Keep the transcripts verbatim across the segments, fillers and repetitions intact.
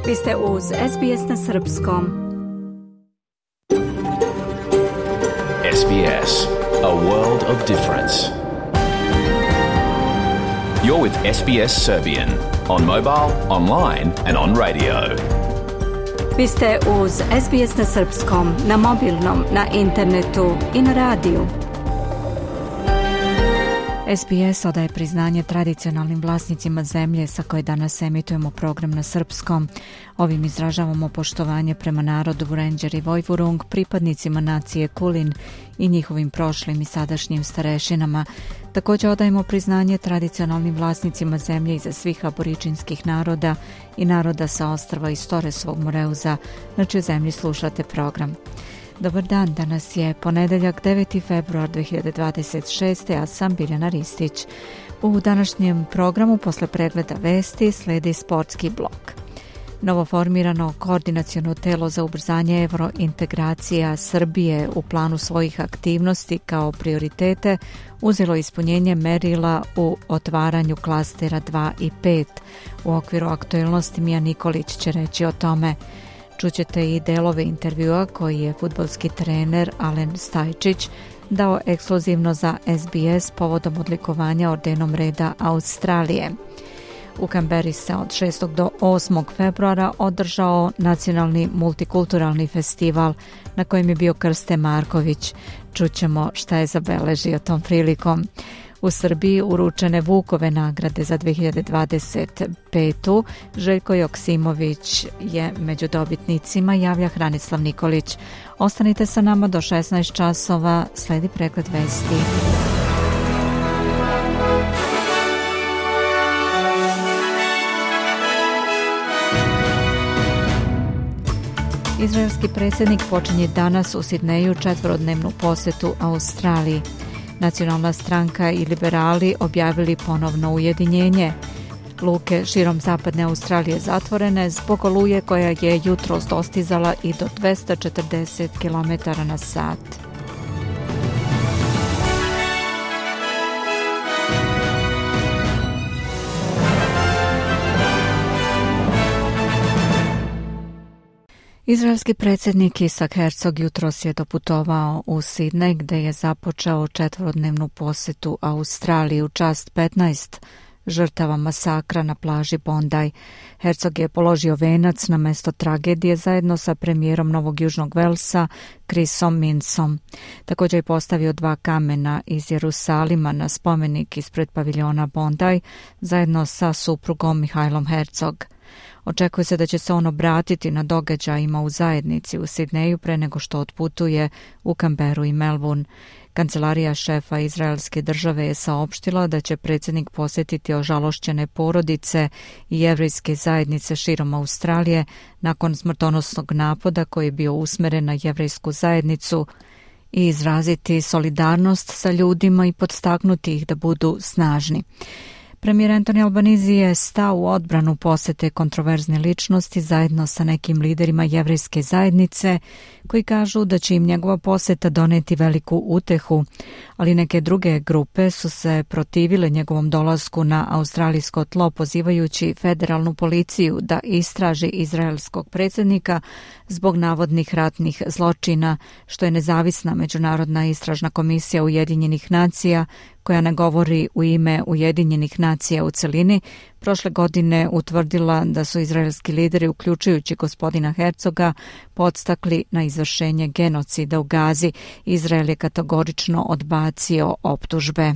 Vi ste uz S B S na srpskom. S B S, a world of difference. You're with S B S Serbian on mobile, online and on radio. Vi ste uz S B S na srpskom, na mobilnom, na internetu i na radiju. S B S odaje priznanje tradicionalnim vlasnicima zemlje sa koje danas emitujemo program na srpskom. Ovim izražavamo poštovanje prema narodu Vurenđer i Vojvurung, pripadnicima nacije Kulin i njihovim prošlim i sadašnjim starešinama. Također odajemo priznanje tradicionalnim vlasnicima zemlje iza svih aboričinskih naroda i naroda sa ostrva iz Toresovog Moreuza, na čijoj zemlji slušate program. Dobar dan, danas je ponedeljak deveti februar dve hiljade dvadeset šeste. Ja sam Biljana Ristić. U današnjem programu posle pregleda vesti sledi sportski blok. Novoformirano koordinaciono telo za ubrzanje evrointegracija Srbije u planu svojih aktivnosti kao prioritete uzelo ispunjenje merila u otvaranju klastera dva i pet. U okviru aktualnosti Mija Nikolić će reći o tome. Čućete i delove intervjua koji je fudbalski trener Alen Stajčić dao ekskluzivno za S B S povodom odlikovanja ordenom reda Australije. U Kamberi se od šestog do osmog februara održao nacionalni multikulturalni festival na kojem je bio Krste Marković. Čućemo šta je zabeležio tom prilikom. U Srbiji uručene Vukove nagrade za dve hiljade dvadeset petu. Željko Joksimović je među dobitnicima, javlja Hranislav Nikolić. Ostanite sa nama do šesnaest časova, sledi pregled vesti. Izraelski predsjednik počinje danas u Sidneju četverodnevnu posetu Australiji. Nacionalna stranka i liberali objavili ponovno ujedinjenje. Luke širom zapadne Australije zatvorene zbog oluje koja je jutros dostizala i do dvesta četrdeset kilometara na sat. Izraelski predsjednik Isak Herzog jutros je doputovao u Sidnej gdje je započeo četverodnevnu posetu Australiji u čast petnaest žrtava masakra na plaži Bondi. Herzog je položio venac na mesto tragedije zajedno sa premijerom Novog Južnog Velsa Chrisom Minsom. Također je postavio dva kamena iz Jerusalima na spomenik ispred paviljona Bondi zajedno sa suprugom Mihajlom Herzog. Očekuje se da će se on obratiti na događajima u zajednici u Sidneju pre nego što otputuje u Kamberu i Melbourne. Kancelarija šefa izraelske države je saopštila da će predsjednik posjetiti ožalošćene porodice i jevrejske zajednice širom Australije nakon smrtonosnog napada koji je bio usmeren na jevrejsku zajednicu i izraziti solidarnost sa ljudima i podstaknuti ih da budu snažni. Premijer Anthony Albanese je stao u odbranu posete kontroverzne ličnosti zajedno sa nekim liderima jevrejske zajednice koji kažu da će im njegova poseta doneti veliku utehu, ali neke druge grupe su se protivile njegovom dolasku na australijsko tlo pozivajući federalnu policiju da istraži izraelskog predsjednika zbog navodnih ratnih zločina, što je nezavisna međunarodna istražna komisija Ujedinjenih nacija koja ne govori u ime Ujedinjenih nacija u celini, prošle godine utvrdila da su izraelski lideri, uključujući gospodina Herzoga, podstakli na izvršenje genocida u Gazi. Izrael je kategorično odbacio optužbe.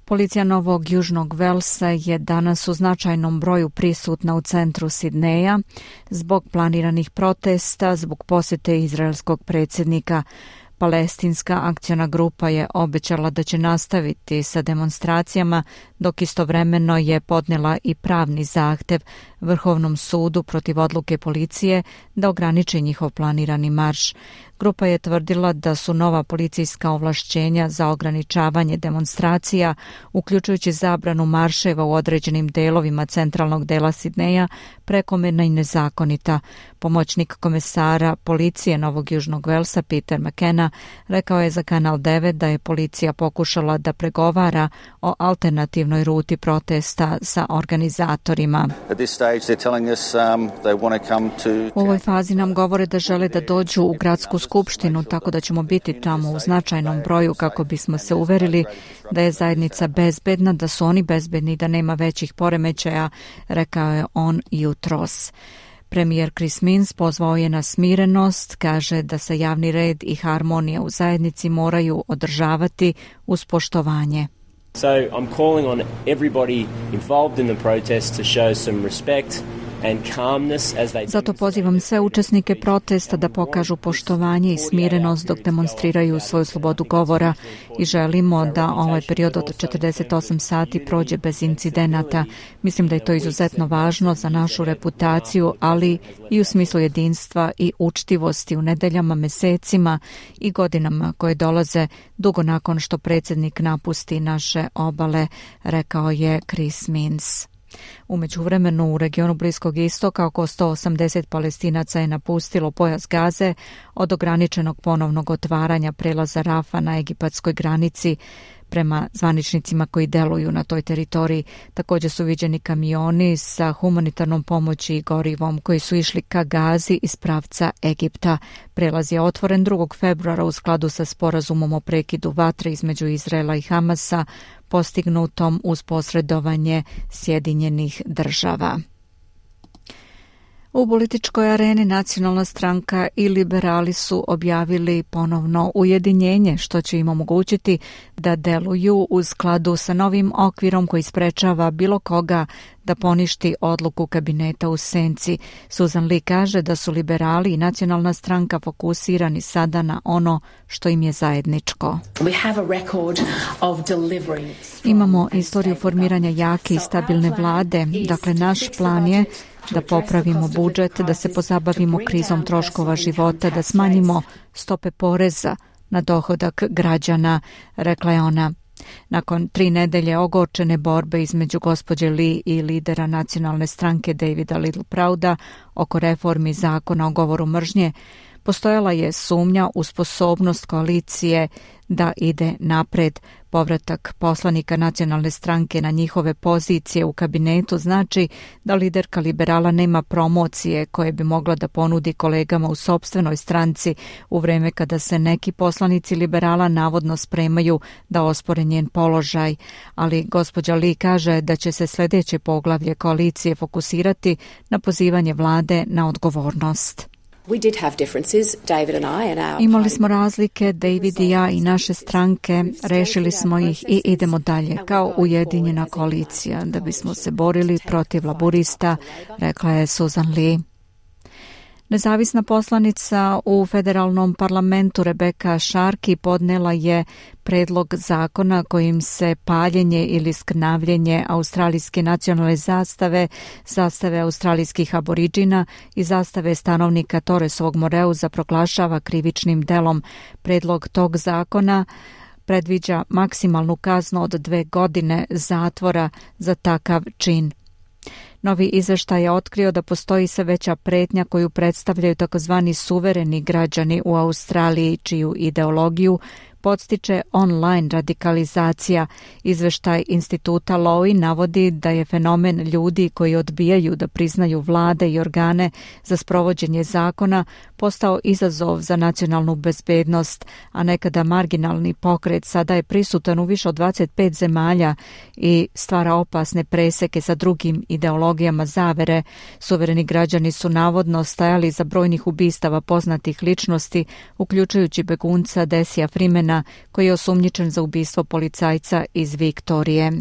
Policija Novog Južnog Velsa je danas u značajnom broju prisutna u centru Sidneja zbog planiranih protesta zbog posjete izraelskog predsjednika. Palestinska akciona grupa je obećala da će nastaviti sa demonstracijama, dok istovremeno je podnela i pravni zahtev Vrhovnom sudu protiv odluke policije da ograniči njihov planirani marš. Grupa je tvrdila da su nova policijska ovlašćenja za ograničavanje demonstracija, uključujući zabranu marševa u određenim delovima centralnog dela Sidneja, prekomerna i nezakonita. Pomoćnik komesara policije Novog Južnog Velsa Peter McKenna Sidneja, rekao je za Kanal devet da je policija pokušala da pregovara o alternativnoj ruti protesta sa organizatorima. U ovoj fazi nam govore da žele da dođu u gradsku skupštinu, tako da ćemo biti tamo u značajnom broju kako bismo se uverili da je zajednica bezbedna, da su oni bezbedni i da nema većih poremećaja, rekao je on jutros. Premijer Chris Minns pozvao je na smirenost, kaže da se javni red i harmonija u zajednici moraju održavati uz poštovanje. So I'm calling on everybody involved in the protest to show some respect. Zato pozivam sve učesnike protesta da pokažu poštovanje i smirenost dok demonstriraju svoju slobodu govora i želimo da ovaj period od četrdeset osam sati prođe bez incidenata. Mislim da je to izuzetno važno za našu reputaciju, ali i u smislu jedinstva i učtivosti u nedeljama, mesecima i godinama koje dolaze dugo nakon što predsjednik napusti naše obale, rekao je Chris Minns. U međuvremenu u regionu Bliskog istoka oko sto osamdeset Palestinaca je napustilo pojas Gaze od ograničenog ponovnog otvaranja prelaza Rafa na egipatskoj granici. Prema zvaničnicima koji deluju na toj teritoriji, također su viđeni kamioni sa humanitarnom pomoći i gorivom koji su išli ka Gazi iz pravca Egipta. Prelaz je otvoren drugog februara u skladu sa sporazumom o prekidu vatre između Izraela i Hamasa, postignutom uz posredovanje Sjedinjenih država. U političkoj areni Nacionalna stranka i liberali su objavili ponovno ujedinjenje, što će im omogućiti da deluju u skladu sa novim okvirom koji sprečava bilo koga da poništi odluku kabineta u senci. Susan Lee kaže da su liberali i Nacionalna stranka fokusirani sada na ono što im je zajedničko. Imamo istoriju formiranja jake i stabilne vlade, dakle naš plan je da popravimo budžet, da se pozabavimo krizom troškova života, da smanjimo stope poreza na dohodak građana, rekla je ona. Nakon tri nedelje ogorčene borbe između gospođe Lee i lidera nacionalne stranke Davida Littleprouda oko reformi zakona o govoru mržnje, postojala je sumnja u sposobnost koalicije da ide napred. Povratak poslanika nacionalne stranke na njihove pozicije u kabinetu znači da liderka liberala nema promocije koje bi mogla da ponudi kolegama u sopstvenoj stranci u vreme kada se neki poslanici liberala navodno spremaju da ospore njen položaj. Ali gospođa Lee kaže da će se sljedeće poglavlje koalicije fokusirati na pozivanje vlade na odgovornost. Imali smo razlike, David i ja i naše stranke, rešili smo ih i idemo dalje kao ujedinjena koalicija da bismo se borili protiv laburista, rekla je Susan Lee. Nezavisna poslanica u federalnom parlamentu Rebecca Sharkey podnela je predlog zakona kojim se paljenje ili skrnavljenje australijske nacionalne zastave, zastave australijskih aboriđina i zastave stanovnika Torresovog Moreuza proglašava krivičnim delom. Predlog tog zakona predviđa maksimalnu kaznu od dve godine zatvora za takav čin. Novi izveštaj je otkrio da postoji sve veća pretnja koju predstavljaju takozvani suvereni građani u Australiji, čiju ideologiju podstiče online radikalizacija. Izveštaj instituta Lowy navodi da je fenomen ljudi koji odbijaju da priznaju vlade i organe za sprovođenje zakona postao izazov za nacionalnu bezbednost, a nekada marginalni pokret sada je prisutan u više od dvadeset pet zemalja i stvara opasne preseke sa drugim ideologijama zavere. Suvereni građani su navodno stajali za brojnih ubistava poznatih ličnosti, uključujući begunca Desija Freemana, koji je osumnjičen za ubistvo policajca iz Viktorije.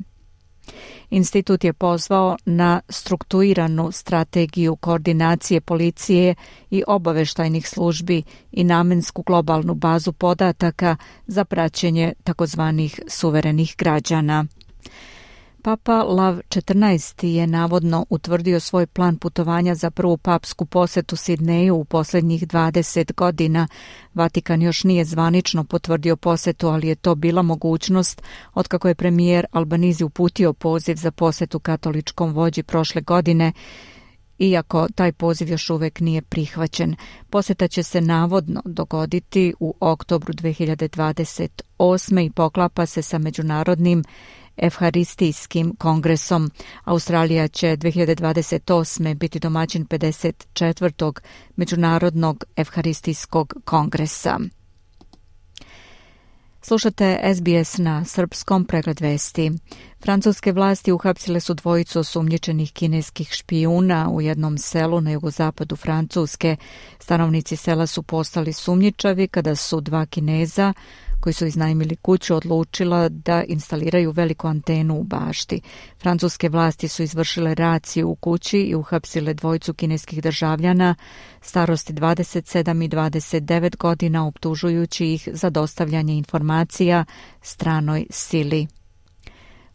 Institut je pozvao na strukturiranu strategiju koordinacije policije i obaveštajnih službi i namensku globalnu bazu podataka za praćenje takozvanih suverenih građana. Papa Lav četrnaesti je navodno utvrdio svoj plan putovanja za prvu papsku posetu Sidneju u posljednjih dvadeset godina. Vatikan još nije zvanično potvrdio posetu, ali je to bila mogućnost otkako je premijer Albanizi uputio poziv za posetu katoličkom vođi prošle godine iako taj poziv još uvek nije prihvaćen. Poseta će se navodno dogoditi u oktobru dve hiljade dvadeset osme i poklapa se sa međunarodnim Evharistijskim kongresom. Australija će dve hiljade dvadeset osme biti domaćin pedeset četvrtog Međunarodnog Evharistijskog kongresa. Slušate S B S na srpskom, pregled vesti. Francuske vlasti uhapsile su dvojicu osumnjičenih kineskih špijuna u jednom selu na jugozapadu Francuske. Stanovnici sela su postali sumnjičavi kada su dva Kineza koji su iznajmili kuću odlučila da instaliraju veliku antenu u bašti. Francuske vlasti su izvršile raciju u kući i uhapsile dvojicu kineskih državljana starosti dvadeset sedam i dvadeset devet godina, optužujući ih za dostavljanje informacija stranoj sili.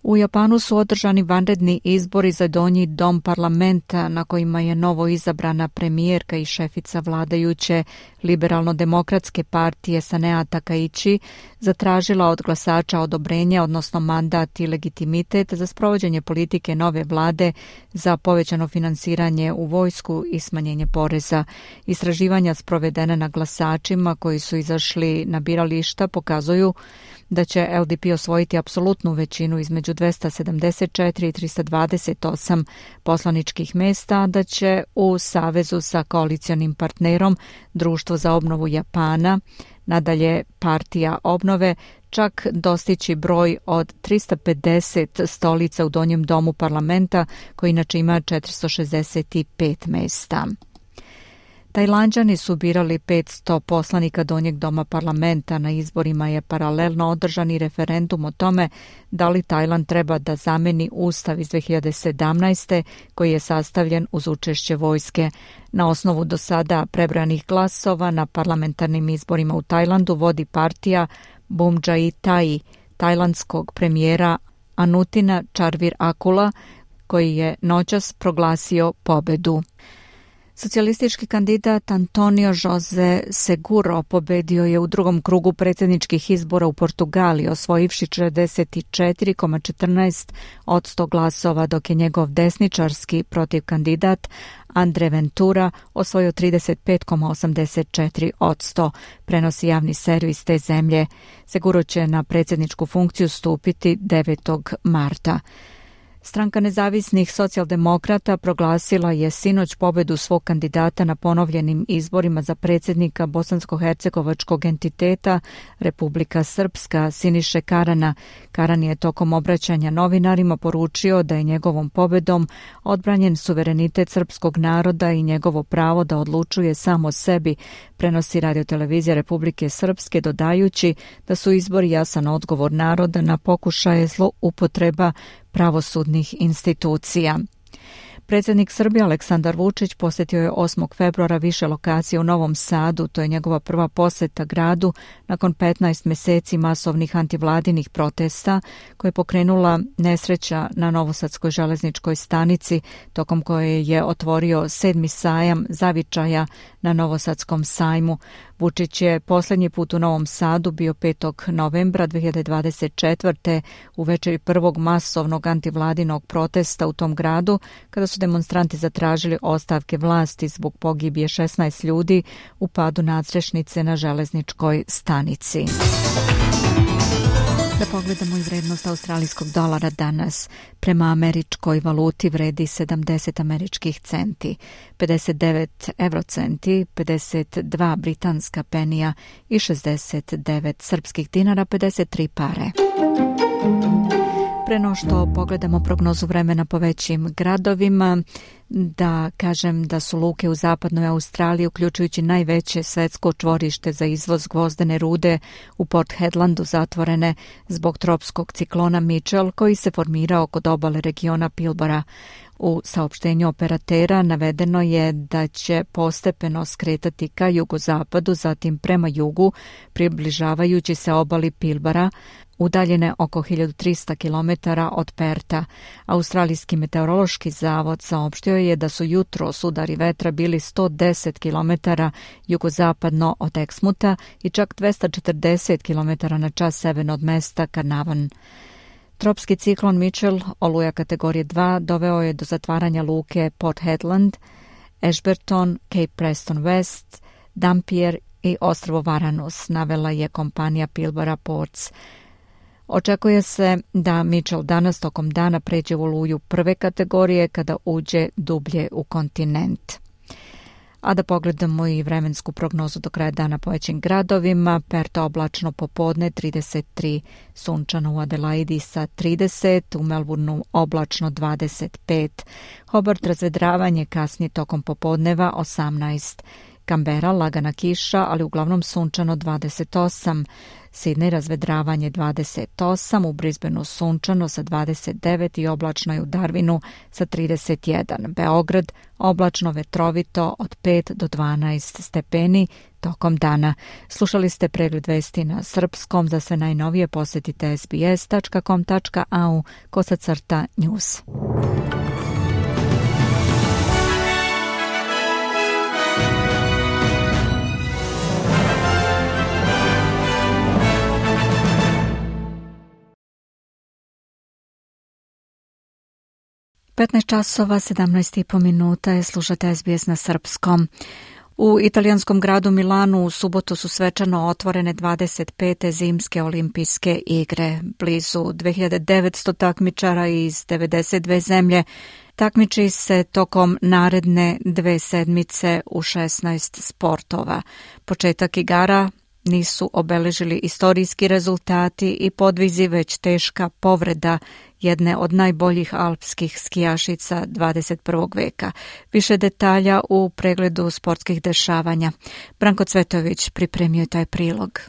U Japanu su održani vanredni izbori za donji dom parlamenta na kojima je novo izabrana premijerka i šefica vladajuće liberalno-demokratske partije Sanea Takaichi zatražila od glasača odobrenje, odnosno mandat i legitimitet za sprovođenje politike nove vlade za povećano finansiranje u vojsku i smanjenje poreza. Istraživanja sprovedene na glasačima koji su izašli na birališta pokazuju da će L D P osvojiti apsolutnu većinu između dvesta sedamdeset četiri i trista dvadeset osam poslaničkih mesta, da će u savezu sa koalicionim partnerom Društvo za obnovu Japana, nadalje Partija obnove, čak dostići broj od trista pedeset stolica u donjem domu parlamenta, koji inače ima četiristo šezdeset pet mesta. Tajlanđani su birali petsto poslanika donjeg doma parlamenta. Na izborima je paralelno održan i referendum o tome da li Tajland treba da zameni ustav iz dve hiljade sedamnaeste. koji je sastavljen uz učešće vojske. Na osnovu do sada prebrojanih glasova na parlamentarnim izborima u Tajlandu vodi partija Bumjai-Thai, tajlandskog premijera Anutina Charnvirakula, koji je noćas proglasio pobedu. Socijalistički kandidat Antonio José Seguro pobedio je u drugom krugu predsjedničkih izbora u Portugaliji, osvojivši četrdeset četiri zarez četrnaest posto glasova, dok je njegov desničarski protivkandidat André Ventura osvojio trideset pet zarez osamdeset četiri posto, prenosi javni servis te zemlje. Seguro će na predsjedničku funkciju stupiti devetog marta. Stranka nezavisnih socijaldemokrata proglasila je sinoć pobedu svog kandidata na ponovljenim izborima za predsjednika bosansko-hercegovačkog entiteta Republika Srpska Siniše Karana. Karan je tokom obraćanja novinarima poručio da je njegovom pobedom odbranjen suverenitet srpskog naroda i njegovo pravo da odlučuje samo o sebi, prenosi radiotelevizija Republike Srpske, dodajući da su izbori jasan odgovor naroda na pokušaje zloupotreba pravosudnih institucija. Predsjednik Srbije Aleksandar Vučić posjetio je osmog februara više lokacije u Novom Sadu. To je njegova prva posjeta gradu nakon petnaest mjeseci masovnih antivladinih protesta koje je pokrenula nesreća na Novosadskoj železničkoj stanici, tokom koje je otvorio sedmi sajam zavičaja na Novosadskom sajmu. Vučić je posljednji put u Novom Sadu bio petog novembra dve hiljade dvadeset četvrte u večeri prvog masovnog antivladinog protesta u tom gradu, kada su demonstranti zatražili ostavke vlasti zbog pogibije šesnaest ljudi u padu nadstrešnice na železničkoj stanici. Da pogledamo i vrednost australijskog dolara danas. Prema američkoj valuti vredi sedamdeset američkih centi, pedeset devet eurocenti, pedeset dva britanska penija i šezdeset devet srpskih dinara, pedeset tri pare. Pre no što pogledamo prognozu vremena po većim gradovima, da kažem da su luke u zapadnoj Australiji, uključujući najveće svetsko čvorište za izvoz gvozdene rude u Port Hedlandu, zatvorene zbog tropskog ciklona Mitchell koji se formirao kod obale regiona Pilbara. U saopštenju operatera navedeno je da će postepeno skretati ka jugozapadu, zatim prema jugu, približavajući se obali Pilbara, udaljene oko hiljadu trista kilometara od Perta. Australijski meteorološki zavod saopštio je da su jutros udari vetra bili sto deset kilometara jugozapadno od Exmuta i čak dvesta četrdeset kilometara na čas severno od mesta Carnarvon. Tropski ciklon Mitchell, oluja kategorije dva, doveo je do zatvaranja luke Port Hedland, Ashburton, Cape Preston West, Dampier i ostrvo Varanus, navela je kompanija Pilbara Ports. Očekuje se da Mitchell danas tokom dana pređe u oluju prve kategorije kada uđe dublje u kontinent. A da pogledamo i vremensku prognozu do kraja dana po većim gradovima. Perth oblačno popodne trideset tri, sunčano u Adelaidi sa trideset, u Melbourneu oblačno dvadeset pet, Hobart razvedravanje kasnije tokom popodneva osamnaest, Canberra lagana kiša, ali uglavnom sunčano dvadeset osam, Sydney razvedravanje dvadeset osam, u Brisbaneu sunčano sa dvadeset devet i oblačno je u Darwinu sa trideset jedan. Beograd oblačno vetrovito od pet do dvanaest stepeni tokom dana. Slušali ste pregled vesti na srpskom. Za sve najnovije posjetite es be es tačka com tačka a u kosacrta news. petnaest časova sedamnaest i po minuta je, slušate es be es na srpskom. U italijanskom gradu Milanu u subotu su svečano otvorene dvadeset pete zimske olimpijske igre. Blizu dve hiljade devetsto takmičara iz devedeset dve zemlje takmiči se tokom naredne dve sedmice u šesnaest sportova. Početak igara nisu obeležili istorijski rezultati i podvizi, već teška povreda jedne od najboljih alpskih skijašica dvadeset prvog veka. Više detalja u pregledu sportskih dešavanja. Branko Cvetović pripremio taj prilog.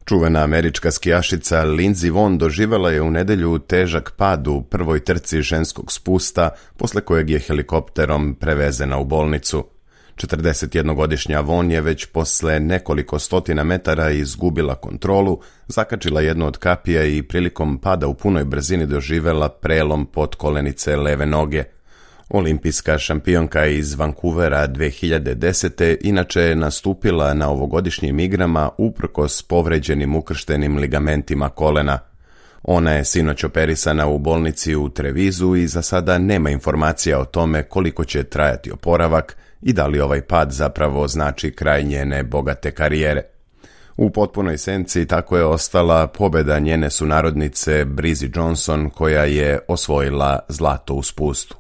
Čuvena američka skijašica Lindsey Vonn doživela je u nedjelju težak pad u prvoj trci ženskog spusta, posle kojeg je helikopterom prevezena u bolnicu. četrdesetjednogodišnja Vonn je već posle nekoliko stotina metara izgubila kontrolu, zakačila jednu od kapija i prilikom pada u punoj brzini doživela prelom potkolenice leve noge. Olimpijska šampionka iz Vancouvera dve hiljade desete inače je nastupila na ovogodišnjim igrama uprkos povređenim ukrštenim ligamentima kolena. Ona je sinoć operisana u bolnici u Trevizu i za sada nema informacija o tome koliko će trajati oporavak i da li ovaj pad zapravo znači kraj njene bogate karijere. U potpunoj senci tako je ostala pobjeda njene sunarodnice Brizzy Johnson, koja je osvojila zlato u spustu.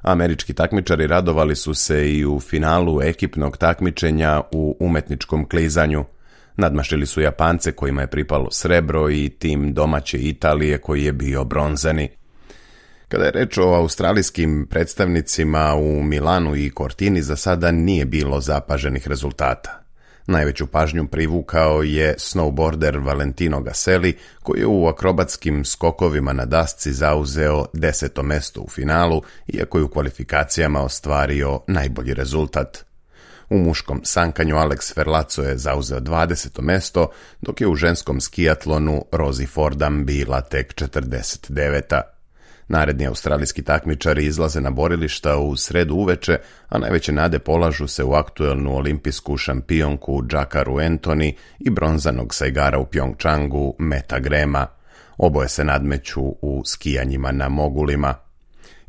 Američki takmičari radovali su se i u finalu ekipnog takmičenja u umetničkom klizanju. Nadmašili su Japance kojima je pripalo srebro i tim domaće Italije koji je bio bronzani. Kada je reč o australijskim predstavnicima u Milanu i Cortini, za sada nije bilo zapaženih rezultata. Najveću pažnju privukao je snowboarder Valentino Gaselli, koji je u akrobatskim skokovima na dasci zauzeo deseto mesto u finalu, iako je u kvalifikacijama ostvario najbolji rezultat. U muškom sankanju Alex Ferlaco je zauzeo dvadeseto mesto, dok je u ženskom skijatlonu Rosie Fordham bila tek četrdeset deveta. Naredni australijski takmičari izlaze na borilišta u sredu uveče, a najveće nade polažu se u aktuelnu olimpijsku šampionku Jackaru Anthony i bronzanog sa igara u Pyeongchangu Meta Grema. Oboje se nadmeću u skijanjima na mogulima.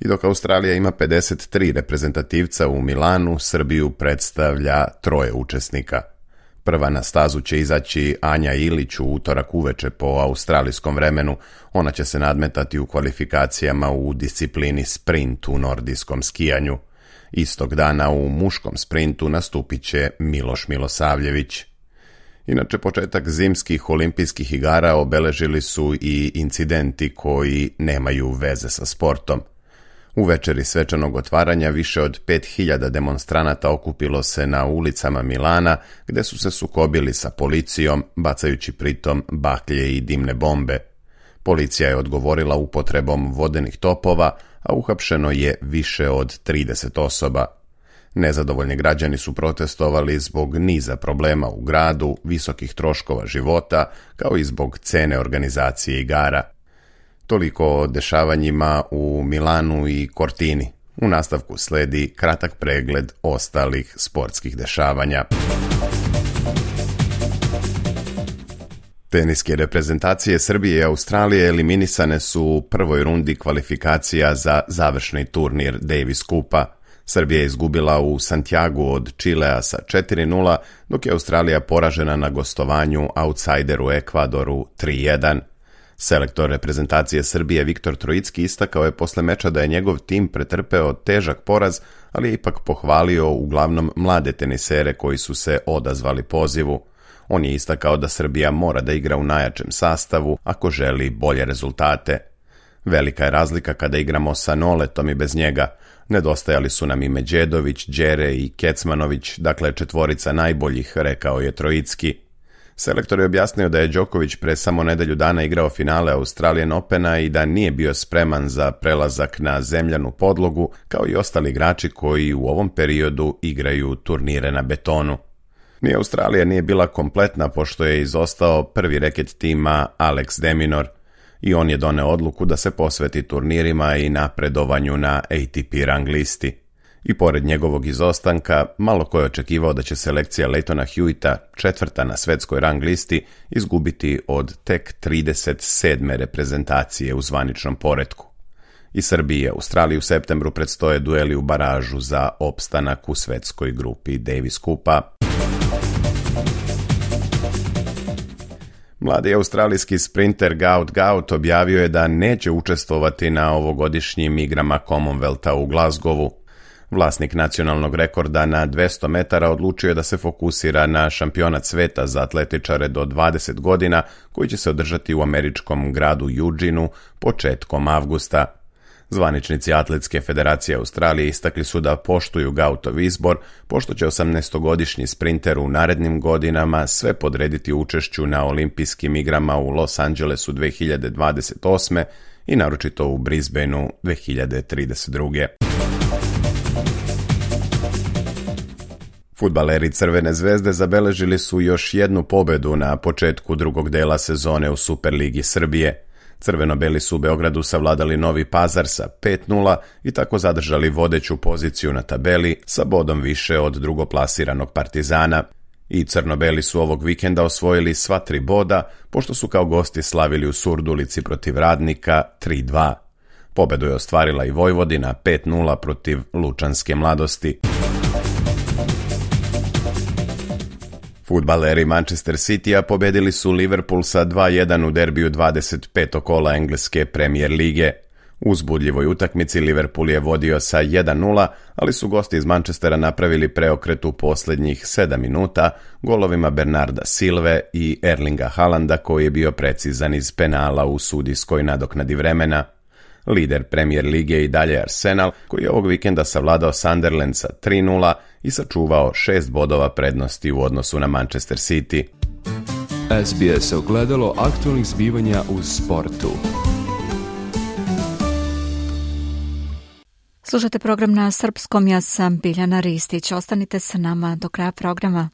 I dok Australija ima pedeset tri reprezentativca u Milanu, Srbiju predstavlja troje učesnika. Prva na stazu će izaći Anja Ilić u utorak uveče po australijskom vremenu. Ona će se nadmetati u kvalifikacijama u disciplini sprint u nordijskom skijanju. Istog dana u muškom sprintu nastupit će Miloš Milosavljević. Inače, početak zimskih olimpijskih igara obeležili su i incidenti koji nemaju veze sa sportom. U večeri svečanog otvaranja više od pet hiljada demonstranata okupilo se na ulicama Milana, gde su se sukobili sa policijom, bacajući pritom baklje i dimne bombe. Policija je odgovorila upotrebom vodenih topova, a uhapšeno je više od trideset osoba. Nezadovoljni građani su protestovali zbog niza problema u gradu, visokih troškova života, kao i zbog cene organizacije igara. Toliko o dešavanjima u Milanu i Cortini. U nastavku sledi kratak pregled ostalih sportskih dešavanja. Teniske reprezentacije Srbije i Australije eliminisane su u prvoj rundi kvalifikacija za završni turnir Davis Kupa. Srbija je izgubila u Santiagu od Čilea sa četiri nula, dok je Australija poražena na gostovanju outsideru Ekvadoru tri jedan. Selektor reprezentacije Srbije Viktor Trojicki istakao je posle meča da je njegov tim pretrpeo težak poraz, ali je ipak pohvalio uglavnom mlade tenisere koji su se odazvali pozivu. On je istakao da Srbija mora da igra u najjačem sastavu ako želi bolje rezultate. Velika je razlika kada igramo sa Noletom i bez njega. Nedostajali su nam i Međedović, Đere i Kecmanović, dakle četvorica najboljih, rekao je Trojicki. Selektor je objasnio da je Đoković pre samo nedelju dana igrao finale Australian Opena i da nije bio spreman za prelazak na zemljanu podlogu, kao i ostali igrači koji u ovom periodu igraju turnire na betonu. Ni Australija nije bila kompletna pošto je izostao prvi reket tima Alex de Minaur i on je doneo odluku da se posveti turnirima i napredovanju na A T P rang listi. I pored njegovog izostanka, malo ko je očekivao da će selekcija Leightona Hewita, četvrta na svetskoj rang listi, izgubiti od tek trideset sedme reprezentacije u zvaničnom poretku. I Srbiji i Australiji u septembru predstoje dueli u baražu za opstanak u svetskoj grupi Davis Kupa. Mladi australijski sprinter Gaut Gaut objavio je da neće učestvovati na ovogodišnjim igrama Commonwealtha u Glasgowu. Vlasnik nacionalnog rekorda na dvesta metara odlučio je da se fokusira na šampionat sveta za atletičare do dvadeset godina koji će se održati u američkom gradu Eugeneu početkom avgusta. Zvaničnici Atletske federacije Australije istakli su da poštuju Gautov izbor, pošto će osamnaestogodišnji sprinter u narednim godinama sve podrediti učešću na olimpijskim igrama u Los Angelesu dve hiljade dvadeset osme i naročito u Brisbaneu dve hiljade trideset druge. Fudbaleri Crvene zvezde zabeležili su još jednu pobedu na početku drugog dela sezone u Superligi Srbije. Crveno-beli su u Beogradu savladali Novi Pazar sa pet nula i tako zadržali vodeću poziciju na tabeli sa bodom više od drugoplasiranog Partizana. I crno-beli su ovog vikenda osvojili sva tri boda, pošto su kao gosti slavili u Surdulici protiv Radnika tri dva. Pobedu je ostvarila i Vojvodina pet nula protiv Lučanske Mladosti. Fudbaleri Manchester Citya pobedili su Liverpool sa dva jedan u derbiju dvadeset petog kola engleske Premier lige. U uzbudljivoj utakmici Liverpool je vodio sa jedan nula, ali su gosti iz Manchestera napravili preokret u posljednjih sedam minuta golovima Bernarda Silve i Erlinga Haalanda koji je bio precizan iz penala u sudijskoj nadoknadi vremena. Lider Premier lige i dalje Arsenal, koji je ovog vikenda savladao Sunderland sa tri nula i sačuvao šest bodova prednosti u odnosu na Manchester City. S B S ogledalo aktualnih zbivanja u sportu. Slušate program na srpskom, ja sam Biljana Ristić. Ostanite sa nama do kraja programa.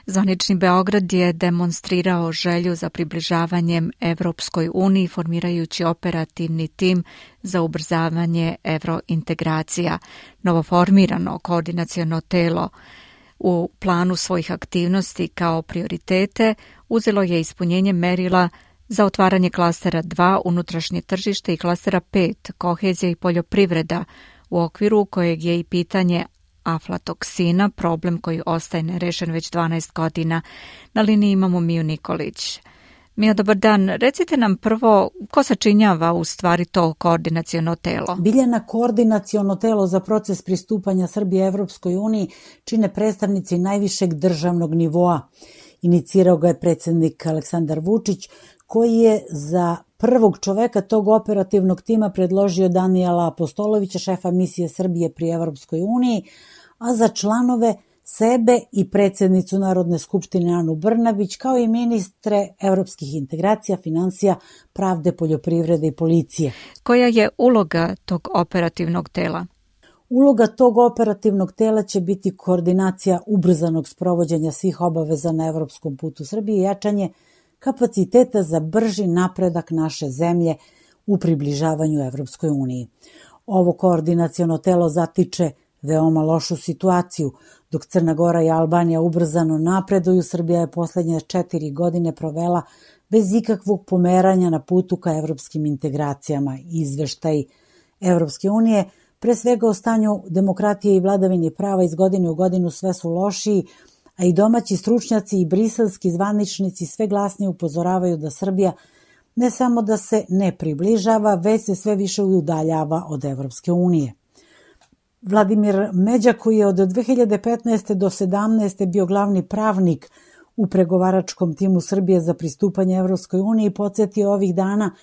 Zvanični Beograd je demonstrirao želju za približavanjem Evropskoj uniji formirajući operativni tim za ubrzavanje evrointegracija. Novoformirano koordinaciono telo u planu svojih aktivnosti kao prioritete uzelo je ispunjenje merila za otvaranje klastera dva unutrašnje tržište i klastera pet kohezija i poljoprivreda, u okviru kojeg je i pitanje aflatoksina, problem koji ostaje nerešen već dvanaest godina. Na liniji imamo Miju Nikolić. Mija, dobar dan. Recite nam prvo ko sačinjava u stvari to koordinaciono telo? Biljana, koordinaciono telo za proces pristupanja Srbije Evropskoj uniji čine predstavnici najvišeg državnog nivoa. Inicirao ga je predsjednik Aleksandar Vučić, koji je za prvog čoveka tog operativnog tima predložio Danijela Apostolovića, šefa misije Srbije pri Evropskoj uniji, a za članove sebe i predsjednicu Narodne skupštine Anu Brnabić, kao i ministre evropskih integracija, finansija, pravde, poljoprivrede i policije. Koja je uloga tog operativnog tela? Uloga tog operativnog tela će biti koordinacija ubrzanog sprovođenja svih obaveza na evropskom putu Srbije i jačanje kapaciteta za brži napredak naše zemlje u približavanju Evropskoj uniji. Ovo koordinaciono telo zatiče veoma lošu situaciju. Dok Crna Gora i Albanija ubrzano napreduju, Srbija je poslednje četiri godine provela bez ikakvog pomeranja na putu ka evropskim integracijama. Izveštaj Evropske unije, pre svega o stanju demokratije i vladavini prava iz godine u godinu sve su lošiji, a i domaći stručnjaci i briselski zvaničnici sve glasnije upozoravaju da Srbija ne samo da se ne približava, već se sve više udaljava od Evropske unije. Vladimir Međa, koji je od dve hiljade petnaeste do sedamnaeste bio glavni pravnik u pregovaračkom timu Srbije za pristupanje Evropskoj uniji, podsjetio ovih dana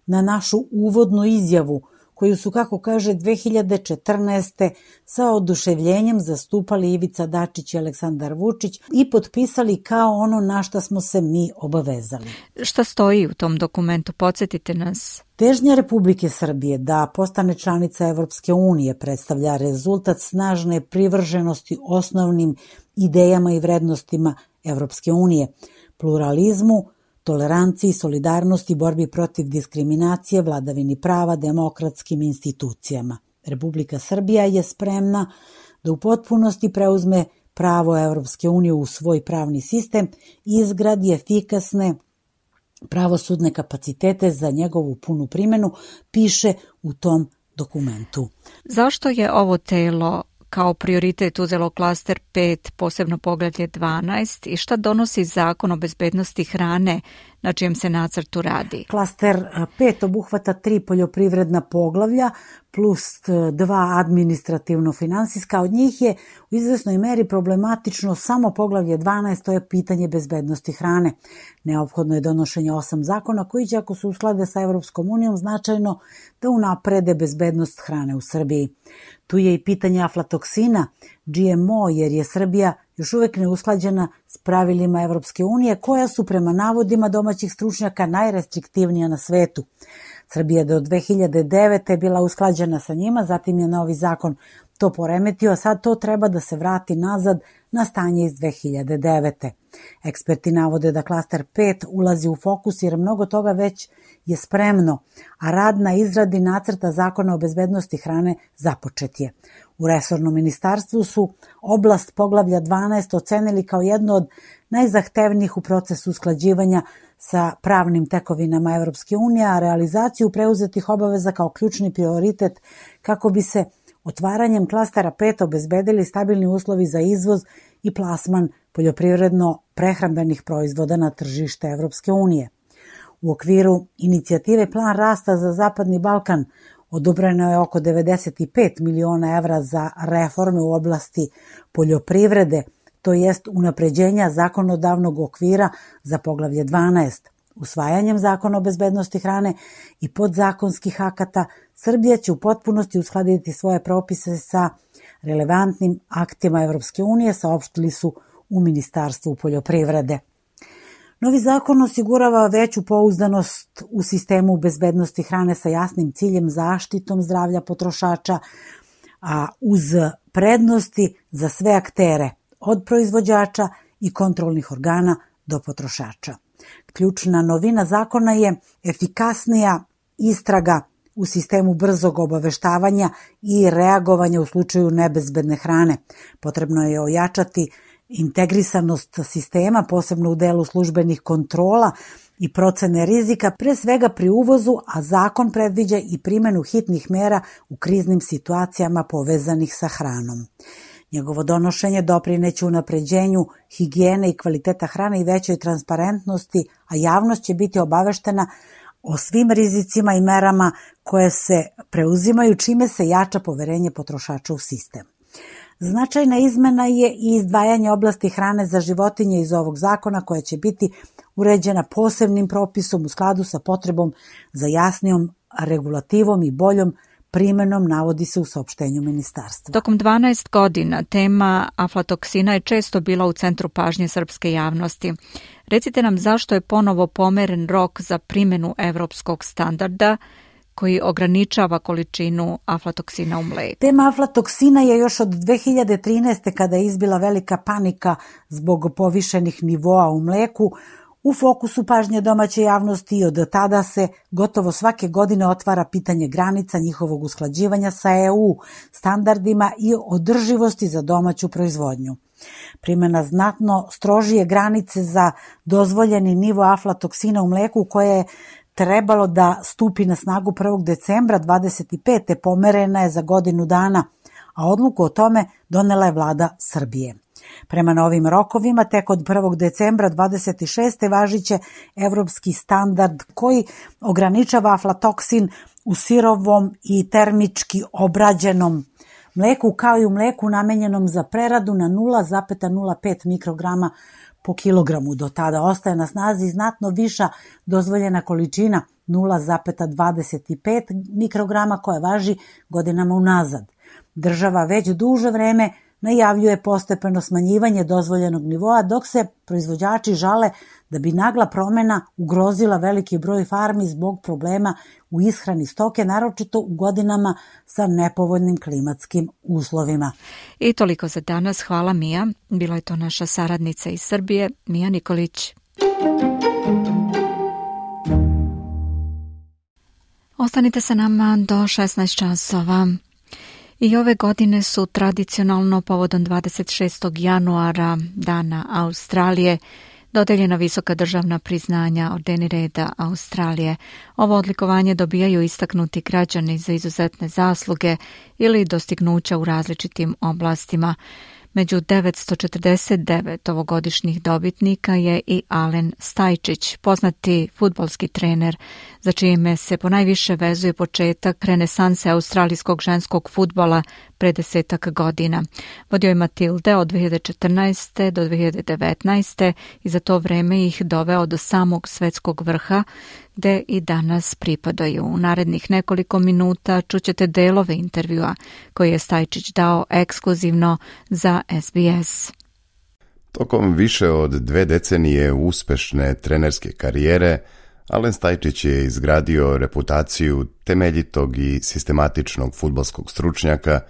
na našu uvodnu izjavu, koju su, kako kaže, dve hiljade četrnaeste sa oduševljenjem zastupali Ivica Dačić i Aleksandar Vučić i potpisali kao ono na šta smo se mi obavezali. Šta stoji u tom dokumentu? Podsjetite nas. Težnja Republike Srbije da postane članica Evropske unije predstavlja rezultat snažne privrženosti osnovnim idejama i vrednostima Evropske unije, pluralizmu, toleranciji, solidarnosti, borbi protiv diskriminacije, vladavini prava, demokratskim institucijama. Republika Srbija je spremna da u potpunosti preuzme pravo Evropske unije u svoj pravni sistem i izgradi efikasne pravosudne kapacitete za njegovu punu primenu, piše u tom dokumentu. Zašto je ovo telo kao prioritet uzelo klaster pet, posebno poglavlje dvanaest, i šta donosi Zakon o bezbednosti hrane na čijem se nacrtu radi? Klaster pet obuhvata tri poljoprivredna poglavlja plus dva administrativno-finansijska. Od njih je u izvesnoj meri problematično samo poglavlje dvanaest, to je pitanje bezbednosti hrane. Neophodno je donošenje osam zakona koji će, ako se usklade sa Evropskom unijom, značajno da unaprede bezbednost hrane u Srbiji. Tu je i pitanje aflatoksina, G M O, jer je Srbija još uvek neusklađena s pravilima Evropske unije, koja su prema navodima domaćih stručnjaka najrestriktivnija na svetu. Srbija do dve hiljade devete bila usklađena sa njima, zatim je novi zakon to poremetio, a sad to treba da se vrati nazad na stanje iz dve hiljade devete. Eksperti navode da klaster pet ulazi u fokus jer mnogo toga već je spremno, a rad na izradi nacrta zakona o bezbednosti hrane započet je. U resornom ministarstvu su oblast poglavlja dvanaest ocenili kao jedno od najzahtevnijih u procesu usklađivanja sa pravnim tekovinama Evropske unije, a realizaciju preuzetih obaveza kao ključni prioritet kako bi se otvaranjem klastera pet obezbedili stabilni uslovi za izvoz i plasman poljoprivredno-prehrambenih proizvoda na tržište Evropske unije. U okviru inicijative Plan rasta za Zapadni Balkan odobreno je oko devedeset pet miliona evra za reforme u oblasti poljoprivrede, to jest unapređenja zakonodavnog okvira za poglavlje dvanaest. Usvajanjem zakona o bezbednosti hrane i podzakonskih akata, Srbija će u potpunosti uskladiti svoje propise sa relevantnim aktima Evropske unije, saopštili su u Ministarstvu poljoprivrede. Novi zakon osigurava veću pouzdanost u sistemu bezbednosti hrane sa jasnim ciljem zaštitom zdravlja potrošača, a uz prednosti za sve aktere, od proizvođača i kontrolnih organa do potrošača. Ključna novina zakona je efikasnija istraga u sistemu brzog obaveštavanja i reagovanja u slučaju nebezbedne hrane. Potrebno je ojačati integrisanost sistema, posebno u delu službenih kontrola i procene rizika, pre svega pri uvozu, a zakon predviđa i primenu hitnih mera u kriznim situacijama povezanih sa hranom. Njegovo donošenje doprineće unapređenju higijene i kvaliteta hrane i većoj transparentnosti, a javnost će biti obaveštena o svim rizicima i merama koje se preuzimaju, čime se jača poverenje potrošača u sistem. Značajna izmena je i izdvajanje oblasti hrane za životinje iz ovog zakona, koja će biti uređena posebnim propisom u skladu sa potrebom za jasnijom regulativom i boljom primenom, navodi se u saopštenju ministarstva. Tokom dvanaest godina tema aflatoksina je često bila u centru pažnje srpske javnosti. Recite nam zašto je ponovo pomeren rok za primenu evropskog standarda koji ograničava količinu aflatoksina u mleku. Tema aflatoksina je još od dve hiljade trinaeste, kada je izbila velika panika zbog povišenih nivoa u mleku, U fokusu pažnje domaće javnosti i od tada se gotovo svake godine otvara pitanje granica njihovog usklađivanja sa E U standardima i održivosti za domaću proizvodnju. Primjena znatno strožije granice za dozvoljeni nivo aflatoksina u mleku koje je trebalo da stupi na snagu prvog decembra dvadeset pete pomerena je za godinu dana, a odluku o tome donela je vlada Srbije. Prema novim rokovima, tek od prvog decembra dvadeset šeste važiće evropski standard koji ograničava aflatoksin u sirovom i termički obrađenom mleku, kao i u mleku namenjenom za preradu na nula zarez nula pet mikrograma po kilogramu. Do tada ostaje na snazi znatno viša dozvoljena količina nula zarez dvadeset pet mikrograma koja važi godinama unazad. Država već duže vreme najavljuje postepeno smanjivanje dozvoljenog nivoa, dok se proizvođači žale da bi nagla promjena ugrozila veliki broj farmi zbog problema u ishrani stoke, naročito u godinama sa nepovoljnim klimatskim uslovima. I toliko za danas. Hvala, Mija. Bila je to naša saradnica iz Srbije, Mija Nikolić. Ostanite sa nama do šesnaest časova. I ove godine su tradicionalno povodom dvadeset šestog januara, Dana Australije, dodeljena visoka državna priznanja Ordeni reda Australije. Ovo odlikovanje dobijaju istaknuti građani za izuzetne zasluge ili dostignuća u različitim oblastima. Među devetsto četrdeset devet ovogodišnjih dobitnika je i Alen Stajčić, poznati fudbalski trener, za čime se ponajviše vezuje početak renesanse australijskog ženskog fudbala pre desetak godina. Vodio je Matilde od dve hiljade četrnaeste do dve hiljade devetnaeste i za to vreme ih doveo do samog svetskog vrha, gde i danas pripadaju. U narednih nekoliko minuta čućete delove intervjua koji je Stajčić dao ekskluzivno za S B S. Tokom više od dve decenije uspešne trenerske karijere, Alen Stajčić je izgradio reputaciju temeljitog i sistematičnog fudbalskog stručnjaka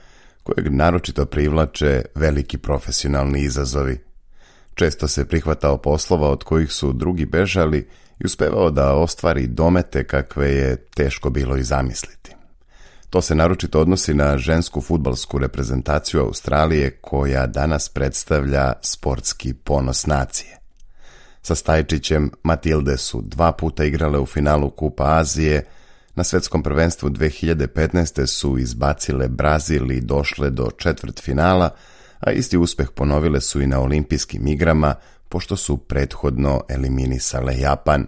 kojeg naročito privlače veliki profesionalni izazovi. Često se prihvatao poslova od kojih su drugi bežali i uspevao da ostvari domete kakve je teško bilo i zamisliti. To se naročito odnosi na žensku fudbalsku reprezentaciju Australije koja danas predstavlja sportski ponos nacije. Sa Stajčićem Matilde su dva puta igrale u finalu Kupa Azije, na svetskom prvenstvu dve hiljade petnaeste su izbacile Brazil i došle do četvrtfinala, a isti uspeh ponovile su i na olimpijskim igrama, pošto su prethodno eliminisale Japan.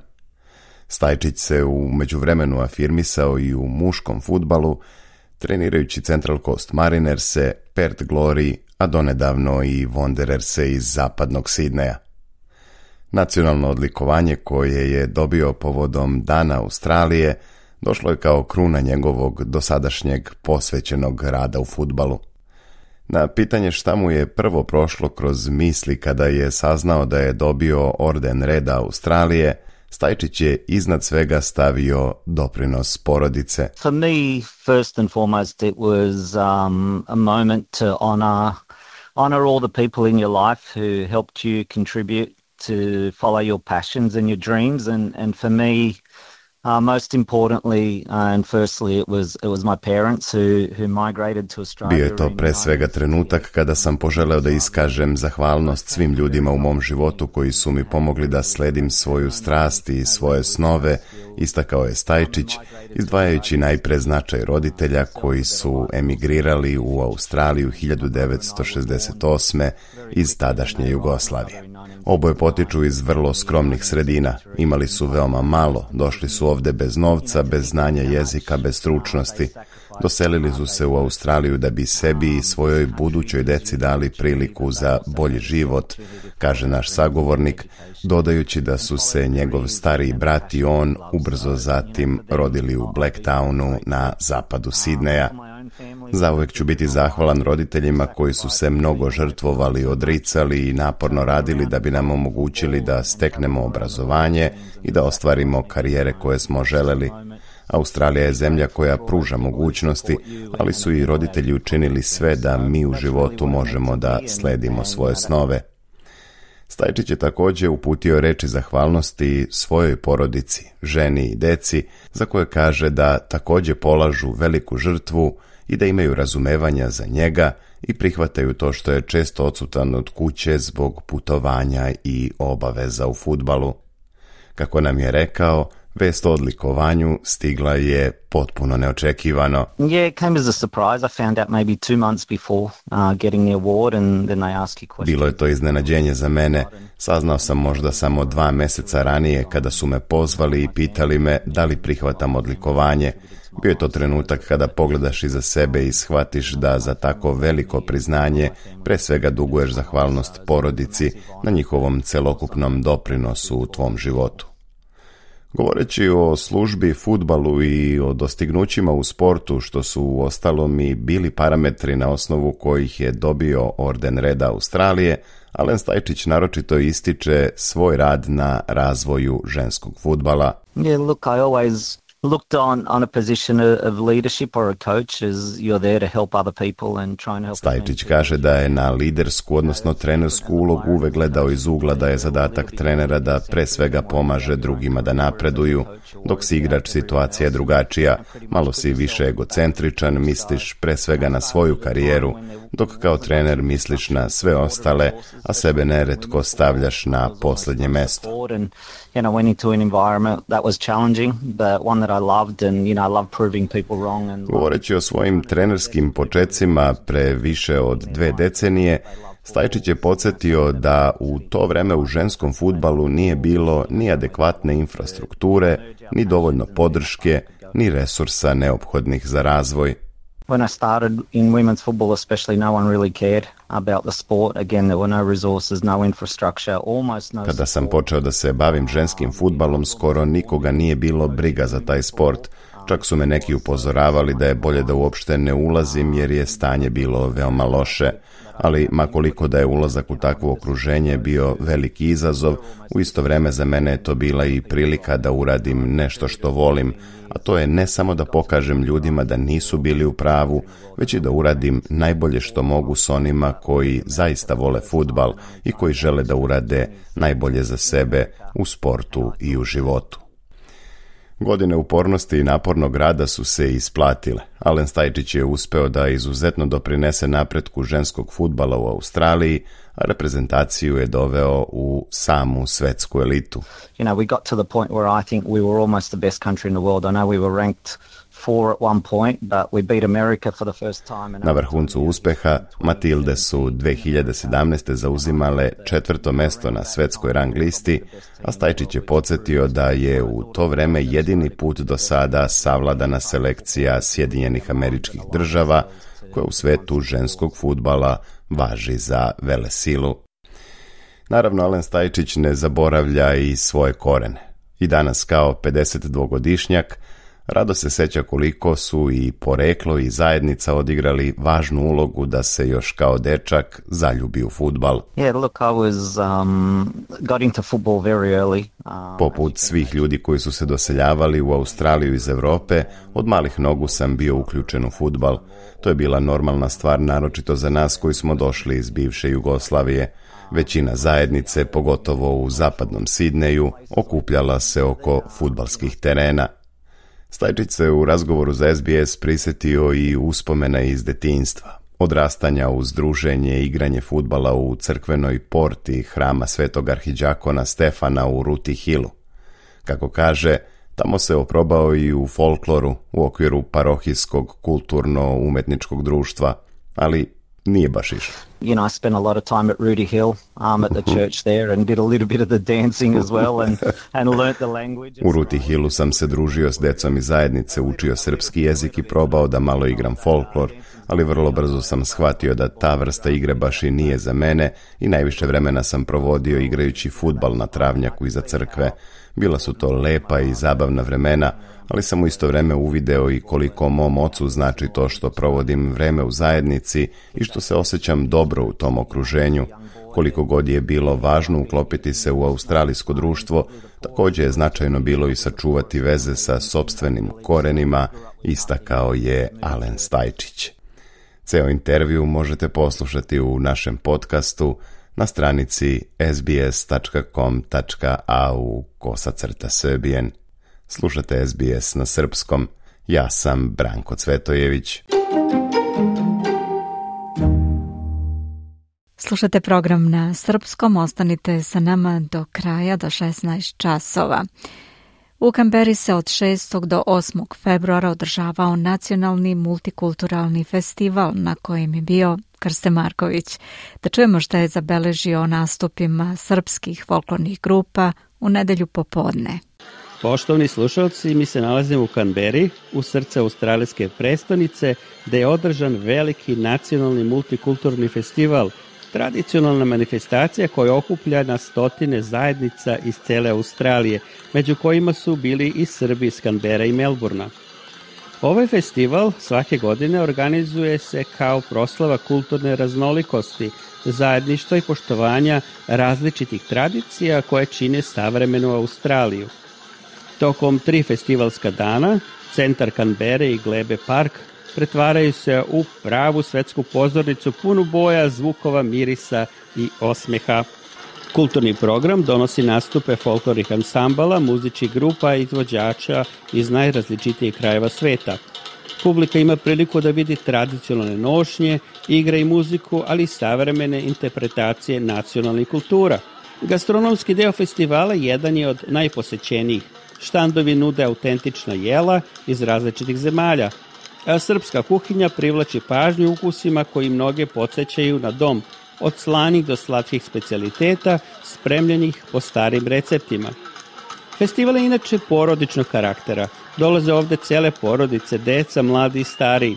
Stajčić se u međuvremenu afirmisao i u muškom fudbalu, trenirajući Central Coast Marinerse, Perth Glory, a donedavno i Wandererse iz zapadnog Sidneja. Nacionalno odlikovanje koje je dobio povodom Dana Australije došlo je kao kruna njegovog dosadašnjeg posvećenog rada u fudbalu. Na pitanje šta mu je prvo prošlo kroz misli kada je saznao da je dobio Orden reda Australije, Stajčić je iznad svega stavio doprinos porodice. For me, first and foremost, it was um, a moment to honor, honor all the people in your life who helped you contribute to follow your passions and your dreams, and, and for me, Uh, most importantly uh, and firstly it was it was my parents who who migrated to Australia. Bio je to pre svega trenutak kada sam poželeo da iskažem zahvalnost svim ljudima u mom životu koji su mi pomogli da sledim svoju strast i svoje snove, istakao je Stajčić, izdvajajući najpre značaj roditelja koji su emigrirali u Australiju hiljadu devetsto šezdeset osme iz tadašnje Jugoslavije. Oboje potiču iz vrlo skromnih sredina, imali su veoma malo, došli su ovde bez novca, bez znanja jezika, bez stručnosti. Doselili su se u Australiju da bi sebi i svojoj budućoj deci dali priliku za bolji život, kaže naš sagovornik, dodajući da su se njegov stariji brat i on ubrzo zatim rodili u Blacktownu na zapadu Sidneja. Zauvek ću biti zahvalan roditeljima koji su se mnogo žrtvovali, odricali i naporno radili da bi nam omogućili da steknemo obrazovanje i da ostvarimo karijere koje smo želeli. Australija je zemlja koja pruža mogućnosti, ali su i roditelji učinili sve da mi u životu možemo da sledimo svoje snove. Stajčić je također uputio reči zahvalnosti svojoj porodici, ženi i deci, za koje kaže da također polažu veliku žrtvu i da imaju razumevanja za njega i prihvataju to što je često odsutan od kuće zbog putovanja i obaveza u fudbalu. Kako nam je rekao, vest o odlikovanju stigla je potpuno neočekivano. Yeah, it came as a surprise. I found out maybe two months before uh, getting the award and then they ask you questions. Bilo je to iznenađenje za mene. Saznao sam možda samo dva mjeseca ranije kada su me pozvali i pitali me da li prihvatam odlikovanje. Bio je to trenutak kada pogledaš iza sebe i shvatiš da za tako veliko priznanje pre svega duguješ zahvalnost porodici na njihovom celokupnom doprinosu u tvom životu. Govoreći o službi, fudbalu i o dostignućima u sportu, što su u ostalom i bili parametri na osnovu kojih je dobio orden reda Australije, Alen Stajčić naročito ističe svoj rad na razvoju ženskog fudbala. Yeah, look, I always looked on, on a position of leadership or a coach as you're there to help other people and try and help. Stajčić kaže da je na lidersku, odnosno trenersku ulogu uvek gledao iz ugla da je zadatak trenera da pre svega pomaže drugima da napreduju, dok si igrač situacija je drugačija, malo si više egocentričan, misliš pre svega na svoju karijeru, dok kao trener misliš na sve ostale, a sebe neretko stavljaš na posljednje mesto. You know, went into an environment that was challenging, but one that I loved and, you know, I love proving people wrong. And Govoreći o svojim trenerskim počecima pre više od dve decenije, Stajčić je podsjetio da u to vreme u ženskom fudbalu nije bilo ni adekvatne infrastrukture, ni dovoljno podrške, ni resursa neophodnih za razvoj. When I started in women's football especially, no one really cared about the sport. Again, there were no resources, no infrastructure, almost no. Kada sam počeo da se bavim ženskim fudbalom, skoro nikoga nije bilo briga za taj sport. Čak su me neki upozoravali da je bolje da uopšte ne ulazim jer je stanje bilo veoma loše. Ali makoliko da je ulazak u takvo okruženje bio veliki izazov, u isto vreme za mene je to bila i prilika da uradim nešto što volim, a to je ne samo da pokažem ljudima da nisu bili u pravu, već i da uradim najbolje što mogu s onima koji zaista vole fudbal i koji žele da urade najbolje za sebe u sportu i u životu. Godine upornosti i napornog rada su se isplatile. Alen Stajčić je uspeo da izuzetno doprinese napretku ženskog fudbala u Australiji, a reprezentaciju je doveo u samu svetsku elitu. You know, we got to the point where I think we were almost the best country in the world. I know we were ranked four at one point, but we beat America for the first time. Na vrhuncu uspeha Matilde su dve hiljade sedamnaeste. zauzimale četvrto mesto na svetskoj rang listi, a Stajčić je podsjetio da je u to vreme jedini put do sada savladana selekcija Sjedinjenih Američkih Država, koja u svetu ženskog fudbala važi za velesilu. Naravno, Alen Stajčić ne zaboravlja i svoje korene. I danas kao pedesetdvogodišnjak rado se seća koliko su i poreklo i zajednica odigrali važnu ulogu da se još kao dečak zaljubi u fudbal. Yeah, look, I was um, got into football very early. Um, Poput svih ljudi koji su se doseljavali u Australiju iz Evrope, od malih nogu sam bio uključen u fudbal. To je bila normalna stvar, naročito za nas koji smo došli iz bivše Jugoslavije. Većina zajednice, pogotovo u zapadnom Sidneju, okupljala se oko fudbalskih terena. Stajčić se u razgovoru za S B S prisjetio i uspomena iz detinjstva, odrastanja uz druženje i igranje fudbala u crkvenoj porti hrama Svetog arhidžakona Stefana u Ruti Hillu. Kako kaže, tamo se oprobao i u folkloru u okviru parohijskog kulturno-umetničkog društva, ali nije baš išlo. You know, I spent a lot of time at Ruti Hill, um, at the church there, and did a little bit of the dancing as well, and, and learnt the language. U Ruti Hillu sam se družio s decom iz zajednice, učio srpski jezik i probao da malo igram folklor, ali vrlo brzo sam shvatio da ta vrsta igre baš i nije za mene i najviše vremena sam provodio igrajući fudbal na travnjaku iza crkve. Bila su to lepa i zabavna vremena, ali sam u isto vreme uvideo i koliko mom ocu znači to što provodim vreme u zajednici i što se osjećam dobro u tom okruženju. Koliko god je bilo važno uklopiti se u australijsko društvo, također je značajno bilo i sačuvati veze sa sopstvenim korenima, istakao je Alen Stajčić. Ceo intervju možete poslušati u našem podcastu na stranici sbs.com.au kosacrta srbijen. Slušate S B S na srpskom. Ja sam Branko Cvetojević. Slušate program na srpskom, ostanite sa nama do kraja, do šesnaest časova. U Kamberi se od šestog do osmog februara održavao nacionalni multikulturalni festival na kojem je bio Krste Marković. Da čujemo šta je zabeležio nastupima srpskih folklornih grupa u nedelju popodne. Poštovni slušalci, mi se nalazimo u Kamberi, u srce australijske prestonice, gde je održan veliki nacionalni multikulturni festival, tradicionalna manifestacija koja okuplja na stotine zajednica iz cele Australije, među kojima su bili i Srbi iz Kambera i Melburna. Ovaj festival svake godine organizuje se kao proslava kulturne raznolikosti, zajedništva i poštovanja različitih tradicija koje čine savremenu Australiju. Tokom tri festivalska dana, centar Kambere i Glebe Park pretvaraju se u pravu svetsku pozornicu punu boja, zvukova, mirisa i osmeha. Kulturni program donosi nastupe folklornih ansambala, muzičkih grupa i izvođača iz najrazličitijih krajeva sveta. Publika ima priliku da vidi tradicionalne nošnje, igre i muziku, ali i savremene interpretacije nacionalnih kultura. Gastronomski deo festivala jedan je od najposećenijih. Štandovi nude autentična jela iz različitih zemalja. A srpska kuhinja privlači pažnju ukusima koji mnoge podsjećaju na dom, od slanih do slatkih specijaliteta, spremljenih po starim receptima. Festival je inače porodičnog karaktera. Dolaze ovde cele porodice, deca, mladi i stariji.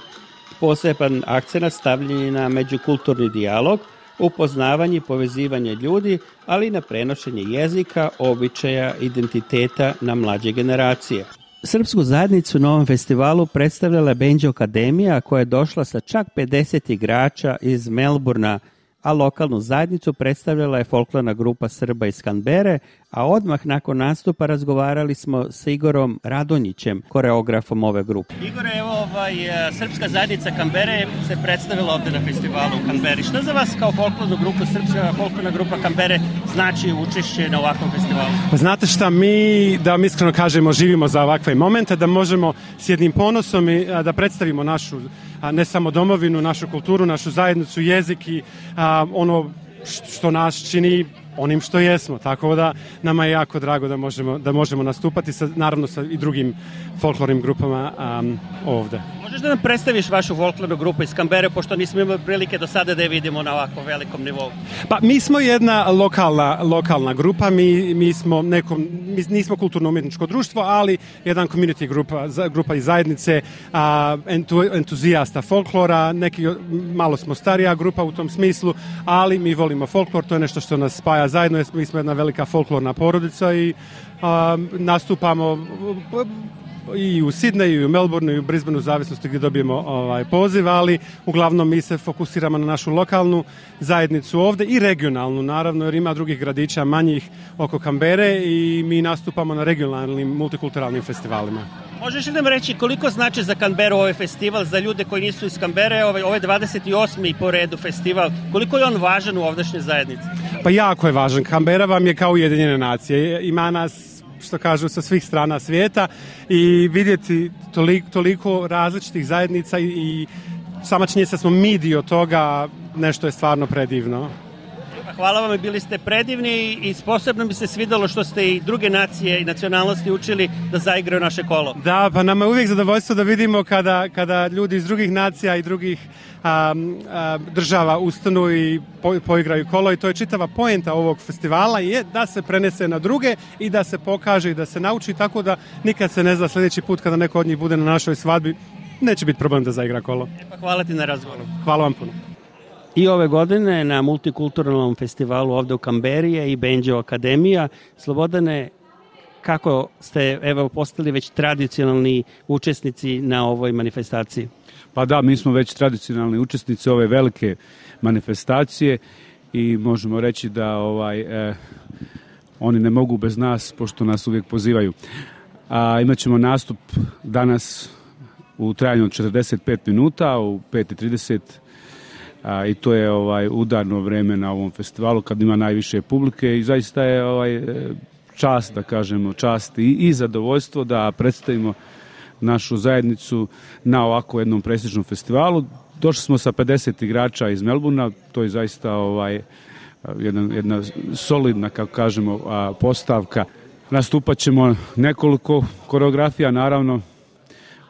Poseban akcenat stavljen je na međukulturni dijalog, upoznavanje i povezivanje ljudi, ali i na prenošenje jezika, običaja, identiteta na mlađe generacije. Srpsku zajednicu na ovom festivalu predstavljala je Banjo Akademija, koja je došla sa čak pedeset igrača iz Melburna, a lokalnu zajednicu predstavljala je folklorna grupa Srba iz Kambere, a odmah nakon nastupa razgovarali smo s Igorom Radonjićem, koreografom ove grupe. Igore, evo ovaj, Srpska zajednica Kambere se predstavila ovde na festivalu u Kamberi. Šta za vas kao folklornu grupu, Srpska folklorna grupa Kambere, znači učešće na ovakvom festivalu? Pa znate šta, mi, da vam iskreno kažemo, živimo za ovakve momente, da možemo s jednim ponosom i da predstavimo našu, ne samo domovinu, našu kulturu, našu zajednicu, jezik i a, ono što nas čini onim što jesmo, tako da nama je jako drago da možemo, da možemo nastupati sa, naravno sa i drugim folklornim grupama um, ovde. Možeš da nam predstaviš vašu folklornu grupu iz Kambere, pošto nismo imali prilike do sada da je vidimo na ovako velikom nivou? Pa mi smo jedna lokalna, lokalna grupa, mi, mi smo nekom, mi nismo kulturno-umjetničko društvo, ali jedan community grupa, grupa iz zajednice, a, entu, entuzijasta folklora, neki, malo smo starija grupa u tom smislu, ali mi volimo folklor, to je nešto što nas spaja zajedno, mi smo jedna velika folklorna porodica i a, nastupamo i u Sidneju, i u Melbourneu, i u Brisbaneu, u zavisnosti gdje dobijemo ovaj, poziv, ali uglavnom mi se fokusiramo na našu lokalnu zajednicu ovde i regionalnu, naravno, jer ima drugih gradića manjih oko Kambere i mi nastupamo na regionalnim multikulturalnim festivalima. Možeš li nam reći koliko znači za Kamberu ovaj festival, za ljude koji nisu iz Kambere, ovaj, ovaj dvadeset osmi po redu festival, koliko je on važan u ovdašnjoj zajednici? Pa jako je važan. Kambera vam je kao Ujedinjene nacije. Ima nas, što kažu, sa svih strana svijeta i vidjeti toliko, toliko različitih zajednica i, i sama činjenica smo mi dio toga, nešto je stvarno predivno. Hvala vam, bili ste predivni i posebno mi se svidalo što ste i druge nacije i nacionalnosti učili da zaigraju naše kolo. Da, pa nama je uvijek zadovoljstvo da vidimo kada, kada ljudi iz drugih nacija i drugih a, a, država ustanu i po, poigraju kolo i to je čitava poenta ovog festivala je da se prenese na druge i da se pokaže i da se nauči, tako da nikad se ne zna sljedeći put kada neko od njih bude na našoj svadbi, neće biti problem da zaigra kolo. E pa hvala ti na razgovoru. Hvala vam puno. I ove godine na multikulturalnom festivalu ovde u Kamberi je i Banjo Akademija. Slobodane, kako ste evo postali već tradicionalni učesnici na ovoj manifestaciji? Pa da, mi smo već tradicionalni učesnici ove velike manifestacije i možemo reći da ovaj eh, oni ne mogu bez nas, pošto nas uvijek pozivaju. A imat ćemo nastup danas u trajanju od četrdeset pet minuta, u pet i trideset a, i to je ovaj udarno vreme na ovom festivalu kad ima najviše publike i zaista je ovaj čast, da kažemo, čast i, i zadovoljstvo da predstavimo našu zajednicu na ovako jednom prestižnom festivalu. Došli smo sa pedeset igrača iz Melbourna, to je zaista ovaj jedna, jedna solidna, kako kažemo, postavka. Nastupat ćemo nekoliko koreografija, naravno,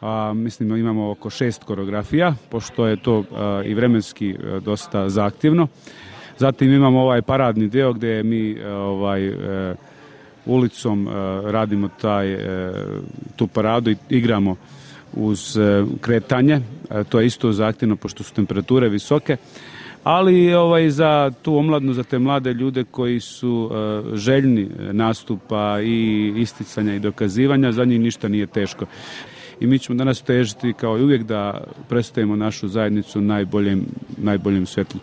a, mislim imamo oko šest koreografija, pošto je to a, i vremenski a, dosta zahtjevno. Zatim imamo ovaj paradni deo gdje mi a, ovaj a, ulicom a, radimo taj, a, tu paradu i igramo uz a, kretanje. A, to je isto zahtjevno pošto su temperature visoke. Ali ovaj, za tu omladnu, za te mlade ljude koji su uh, željni nastupa i isticanja i dokazivanja, za njih ništa nije teško. I mi ćemo danas težiti kao i uvijek da predstavimo našu zajednicu najboljem, najboljem svjetlu.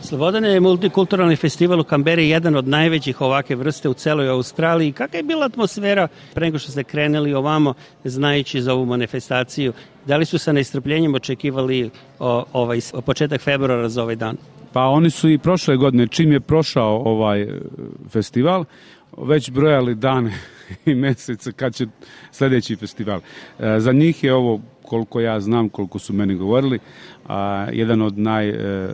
Slobodane je multikulturalni festival u Kamberi jedan od najvećih ovake vrste u celoj Australiji. Kakva je bila atmosfera pre nego što ste krenuli ovamo, znajući za ovu manifestaciju? Da li su sa nestrpljenjem očekivali o, ovaj, o početak februara za ovaj dan? Pa oni su i prošle godine, čim je prošao ovaj festival, već brojali dane i mjesece kad će sljedeći festival. E, za njih je ovo, koliko ja znam, koliko su meni govorili, a, jedan od naj... E,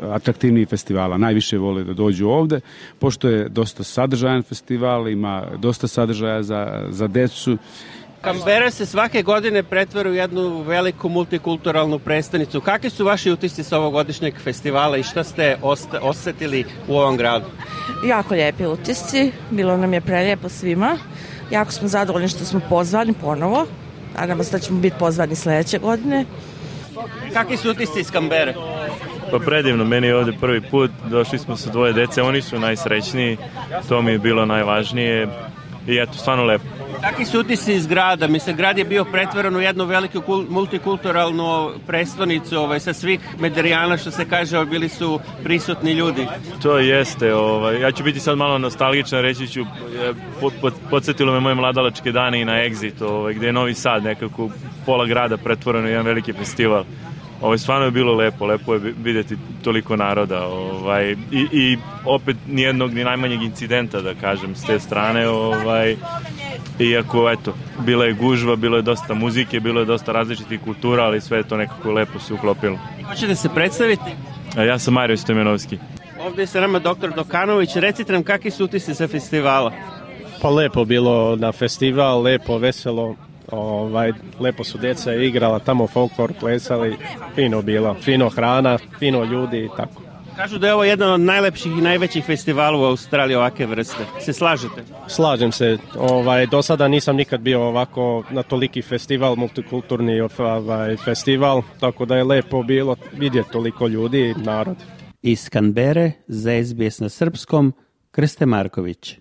atraktivniji festivala. Najviše vole da dođu ovde, pošto je dosta sadržajan festival, ima dosta sadržaja za, za decu. Kambera se svake godine pretvara u jednu veliku multikulturalnu prestonicu. Kakvi su vaši utisci sa ovogodišnjeg festivala i šta ste osta- osetili u ovom gradu? Jako lijepi utisci, bilo nam je prelijepo svima. Jako smo zadovoljni što smo pozvani ponovo. Nadamo se da ćemo biti pozvani sljedeće godine. Kakvi su utisci iz Kambere? Pa predivno, meni je ovdje prvi put, došli smo sa dvoje dece, oni su najsrećniji, to mi je bilo najvažnije i eto, stvarno lepo. Kakvi su utisci iz grada? Mislim, grad je bio pretvoren u jednu veliku kul- multikulturalnu prestonicu, ovaj, sa svih Mederijana, što se kaže, bili su prisutni ljudi. To jeste, ovaj, ja ću biti sad malo nostalgičan, reći ću, po, po, podsjetilo me moje mladalačke dane i na Exit, ovaj, gdje je Novi Sad, nekako pola grada pretvoreno u jedan veliki festival. Ovaj, stvarno je bilo lepo, lepo je vidjeti toliko naroda, ovaj, i, i opet nijednog ni najmanjeg incidenta, da kažem, s te strane, ovaj, iako, eto, bila je gužva, bilo je dosta muzike, bilo je dosta različitih kultura, ali sve je to nekako lepo se uklopilo. Hoćete se predstaviti? A ja sam Mario Stojmenovski. Ovdje je sa nama doktor Dokanović, recite nam kakvi su utisci sa festivala? Pa lepo bilo na festival, lepo, veselo. Ovaj, lepo su djeca igrala, tamo folklor plesali, fino bilo, fino hrana, fino ljudi i tako. Kažu da je ovo jedan od najlepših i najvećih festivala u Australiji ovake vrste. Se slažete? Slažem se. Ovaj, do sada nisam nikad bio ovako na toliki festival, multikulturni ovaj, festival, tako da je lepo bilo vidjeti toliko ljudi i narod. Iz Kambere za S B S na srpskom, Krste Marković.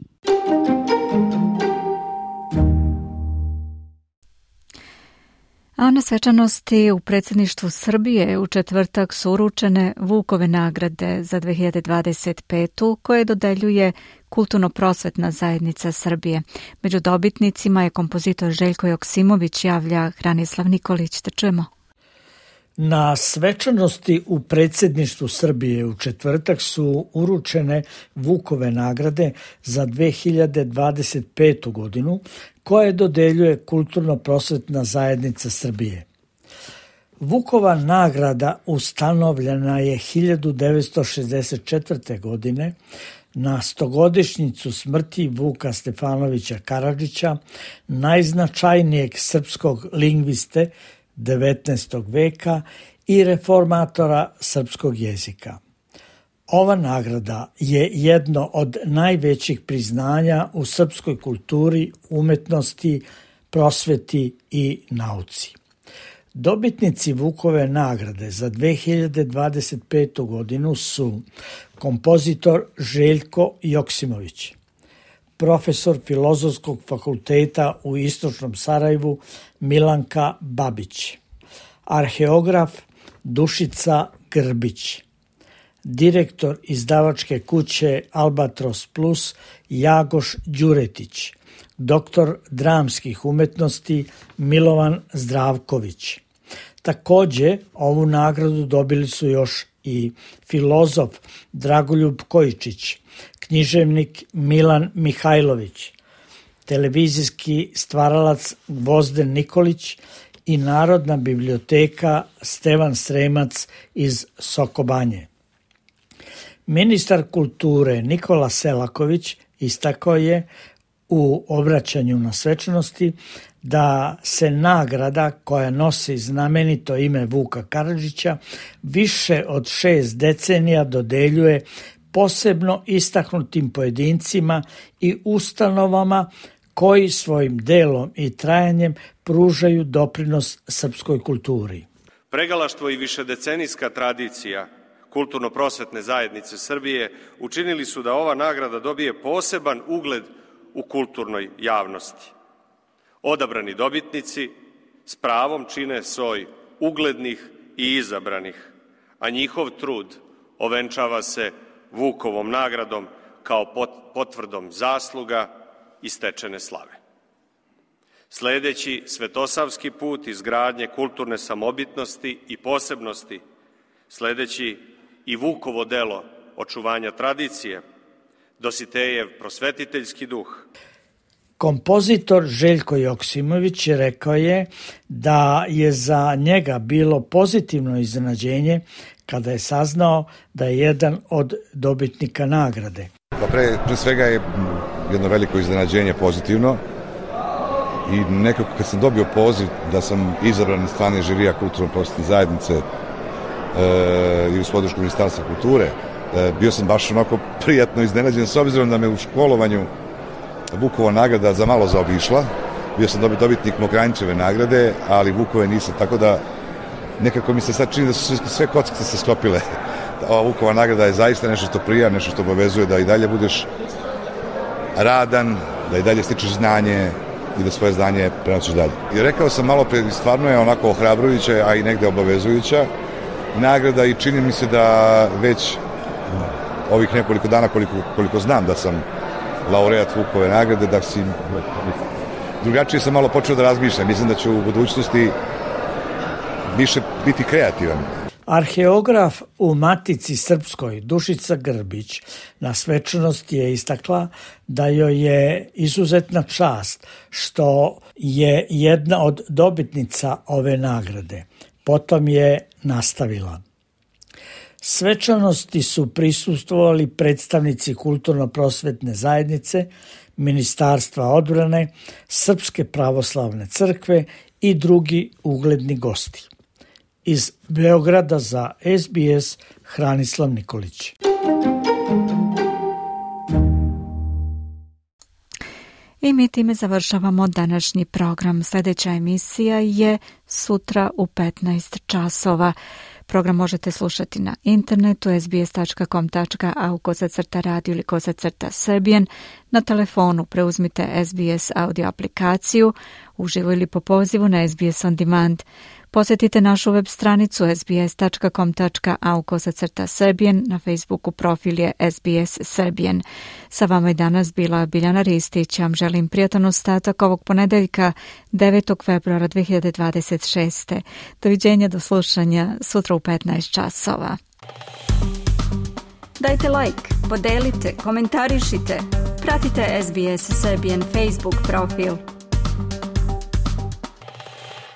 A na svečanosti u predsjedništvu Srbije u četvrtak su uručene Vukove nagrade za dve hiljade dvadeset petu koje dodeljuje Kulturno-prosvetna zajednica Srbije. Među dobitnicima je kompozitor Željko Joksimović, javlja Hranislav Nikolić. Da čujemo. Na svečanosti u predsjedništvu Srbije u četvrtak su uručene Vukove nagrade za dve hiljade dvadeset petu godinu koje dodeljuje Kulturno-prosvetna zajednica Srbije. Vukova nagrada ustanovljena je hiljadu devetsto šezdeset četvrte. godine na stogodišnjicu smrti Vuka Stefanovića Karadžića, najznačajnijeg srpskog lingviste devetnaestog veka i reformatora srpskog jezika. Ova nagrada je jedno od najvećih priznanja u srpskoj kulturi, umetnosti, prosveti i nauci. Dobitnici Vukove nagrade za dve hiljade dvadeset petu. godinu su kompozitor Željko Joksimović, profesor Filozofskog fakulteta u Istočnom Sarajevu Milanka Babić, arheograf Dušica Grbić, direktor izdavačke kuće Albatros Plus Jagoš Đuretić, doktor dramskih umetnosti Milovan Zdravković. Također, ovu nagradu dobili su još i filozof Dragoljub Kojičić, književnik Milan Mihajlović, televizijski stvaralac Gvozden Nikolić i Narodna biblioteka Stevan Sremac iz Sokobanje. Ministar kulture Nikola Selaković istakao je u obraćanju na svečanosti da se nagrada koja nosi znamenito ime Vuka Karadžića više od šest decenija dodeljuje posebno istaknutim pojedincima i ustanovama koji svojim delom i trajanjem pružaju doprinos srpskoj kulturi. Pregalaštvo i višedecenijska tradicija Kulturno-prosvetne zajednice Srbije učinili su da ova nagrada dobije poseban ugled u kulturnoj javnosti. Odabrani dobitnici s pravom čine soj uglednih i izabranih, a njihov trud ovenčava se Vukovom nagradom kao potvrdom zasluga i stečene slave. Sledeći svetosavski put izgradnje kulturne samobitnosti i posebnosti, sledeći i Vukovo delo očuvanja tradicije, Dositejev prosvetiteljski duh. Kompozitor Željko Joksimović rekao je da je za njega bilo pozitivno iznenađenje kada je saznao da je jedan od dobitnika nagrade. Pa pre, pre svega je jedno veliko iznenađenje pozitivno i nekako kad sam dobio poziv da sam izabran iz strane žirija Kulturno-prosvetne zajednice e, i uz podršku Ministarstva kulture, e, bio sam baš onako prijatno iznenađen s obzirom da me u školovanju Vukova nagrada za malo zaobišla. Bio sam dobitnik Mokranjčeve nagrade, ali Vukove nisam, tako da nekako mi se sad čini da su sve kockice se sklopile. Ova Vukova nagrada je zaista nešto što prija, nešto što obavezuje da i dalje budeš radan, da i dalje stičeš znanje i da svoje znanje prenosiš dalje. I rekao sam malo pre, stvarno je onako ohrabrujuća, a i negde obavezujuća nagrada i čini mi se da već ovih nekoliko dana koliko, koliko znam da sam laureat Vukove nagrade, da si drugačije sam malo počeo da razmišljam. Mislim da ću u budućnosti više biti kreativan. Arheograf u Matici Srpskoj Dušica Grbić na svečanosti je istakla da joj je izuzetna čast što je jedna od dobitnica ove nagrade. Potom je nastavila. Svečanosti su prisustvovali predstavnici Kulturno-prosvetne zajednice, Ministarstva odbrane, Srpske pravoslavne crkve i drugi ugledni gosti. Iz Beograda za S B S Hranislav Nikolić. I mi time završavamo današnji program. Sljedeća emisija je sutra u petnaest časova. Program možete slušati na internetu es be es tačka com tačka a u kozacrta radio ili kozacrta srbijen. Na telefonu preuzmite S B S audio aplikaciju, uživo ili po pozivu na S B S On Demand. Posjetite našu web stranicu es be es tačka com tačka a u kozacrta srbijen, na Facebooku profil je S B S Srbijen. Sa vama je danas bila Biljana Ristić. Vam želim prijatan ostatak ovog ponedeljka devetog februara dve hiljade dvadeset šeste. Doviđenja, do slušanja sutra u petnaest časova. Dajte like, podelite, komentarišite. Pratite S B S Serbian Facebook profil.